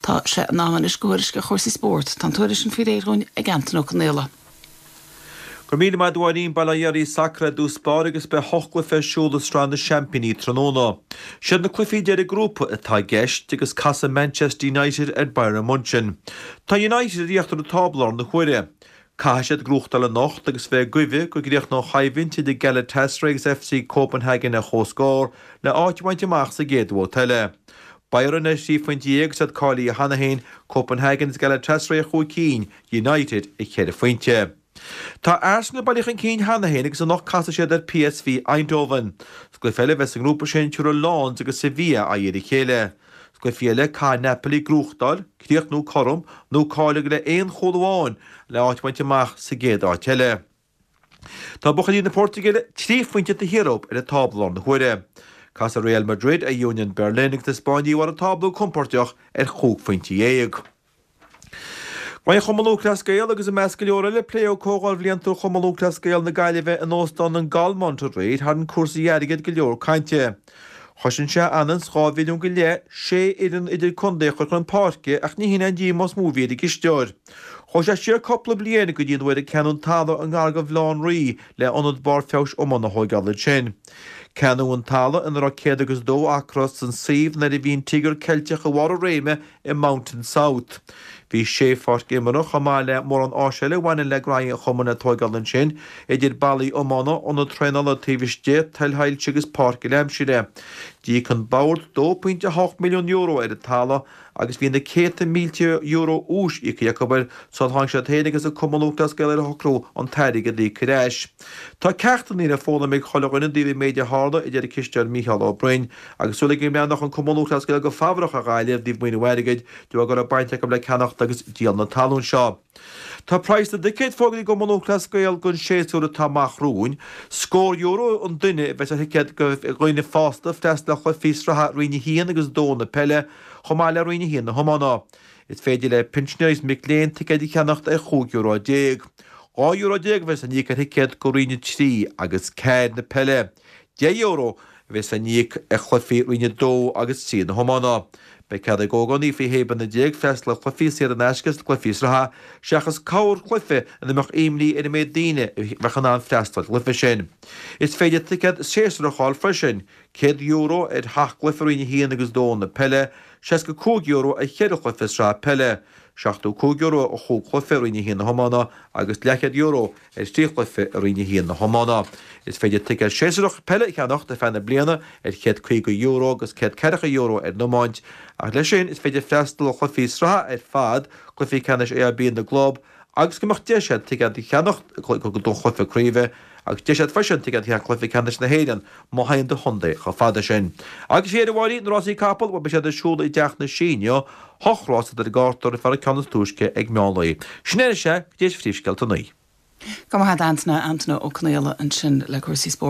Tá sé in am anois do thuairisc ar chúrsaí spóirt. Tá an tuairisc sin faoi réir dhúinn ag Antain Ó Conaola. Go raibh míle maith agat a Mháirín, Bail ó Dhia oraibh, Sacar i dtús báire agus beidh hocht gcluiche ar siúl i Sraith na Seaimpíní tráthnóna. Siad na cluichí deiridh grúpa atá i gceist agus casfaidh Manchester United ar Bayern Munchen. Tá United ar íochtar an tábla i láthair na huaire. Caithfidh siad gnóthachtáil anocht agus bheith ag guibhe go gcríochnóidh an choimhlint idir Galatasaray agus FC Copenhagen ar comhscór le áit a bhaint amach sa gcéad bhabhta eile. Bayern ar thrí phointe dhéag agus iad cáilithe cheana féin, Copenhagen agus Galatasaray ar chúig cinn, United ar cheithre phointe. Tá Arsenal bailithe chun cinn cheana féin agus anocht casfaidh siad ar PSV Eindhoven. Sa gcluiche eile a bheas sa ngrúpa sin tabharfaidh Lens agus Sevilla aghaidh ar a chéile. Sna cluichí eile, caithfidh Napoli gnóthachtáil, críochnú cothrom, nó cailleadh le aon chúl amháin le áit a bhaint amach sa gcéad áit eile. Tá buachaillí na Portaingéile trí phointe taobh thiar dóibh ar an tábla i láthair na huaire. Casfaidh Real Madrid ar Union Berlin agus na Spáinnigh ar bharr an tábla go compóirteach ar chúig phointe dhéag. Roinn Chumann Lúthchleas Gael agus i measc go leor eile pléadh ag Comhdháil Bhliantúil Chumann Lúthchleas Gael na Gaillimhe in Óstán an Galmont aréir tharraing cúrsaí airgid go leor cainte. Chosain sé ionann 's 2 mhilliún go leith sé fhoireann idir-contae a chur chun páirce ach ní hin é an díomá is mó a bhí ar an gcisteoir. Chuaigh sé siar cúpla bliain go dtí an uair a ceannaíodh an talamh i ngar do Bhaile Átha an Rí le ionad barr feabhais iomána a thóigeáil ansin. Ceannaíodh an talamh ina raibh 102 acra san suíomh nuair a bhí an Tíogar Ceilteach i bharr a réime i Mountain South. Bhí sé pháirc imeartha, chomh maith le mórán áis eile a bhaineann le gnaithí an chumainn le tóigeáil ansin, idir ballaí iomána, ionad traenála taobh istigh, toilshoilse agus páirc uile-aimsire. D'íoc an Bord €2.8 milliún ar an talamh agus bhí na céadta mílte euro úis íoctha acu air sular tháinig siad féin agus an Cumann Lúthchleas Gael ar shocrú an t-airgead a íoc ar ais. Tá ceachtanna le foghlaim ag chuile dhuine i dtaobh an méid a tharla, a deir an cisteoir Mícheál Ó Broin. Agus súil aige go mbreathnódh an Cumann Lúthchleas Gael go fabhrach ar Ghaillimh i dtaobh maoiniú airgid de bharr go raibh baint acu le ceannacht agus díol na talún seo. Tá praghas na dticéad fógraithe ag an gCumann Lúthchleas Gael don séasúr atá amach romhainn. Scór euro an duine a bheas ar thicéad do dhaoine fásta freastal ar chluichí sraithe Roinn 1 agus 2 na peile, chomh maith le Roinn 1 na hiomána. Is féidir le pinsinéirí is mic léinn ticéid a cheannacht ar €15 euro. €12 euro a bheas á n-íoc ar thicéad do Roinn 3 agus 4 na peile. €10 a bheas á n-íoc ar chluichí Roinn 2 agus 3 na hiomána. Beidh cead ag ógánaigh faoi 16 bliana freastal ar chluichí saor in aisce sna cluichí sraithe, seachas corrchluiche ina mbeadh imní ar an méid daoine a bheadh in ann freastal ar an gcluiche sin. Is féidir ticéad séasúrach a fháil freisin, €100 ar sheacht gcluiche Roinn 1 agus 2 na peile, €65 ar cheithre chluiche sraithe peile, €75 ar chúig chluiche Roinn 1 na hiomána agus leathchéad euro ar thrí chluiche i Roinn 1 na hiomána. Is féidir ticéad séasúrach peile a cheannacht ar feadh na bliana ar €150 agus €140 ar an iomáint, ach leis sin is féidir freastal ar chluichí sraithe ar fad, cluichí ceannais AIB na gclub agus go mbeadh deis agat ticéad a cheannacht don chluiche craoibhe agus deis agat freisin ticéad a cheannacht do chluiche ceannais na hÉireann má théann do chontae chomh fada sin. Agus faoi dheireadh a Mháirín, na rásaí capall, bhuel beidh siad ar siúl i dTeach na Sí inniu, hocht rás atá ar an gcárta roimh an gceann is túisce ag meán lae. Sin é anois é, go dtí phríomhscéalta a naoi. Go maith agat a Antaine, Antaine Ó Conaola ansin le cúrsaí spóirt.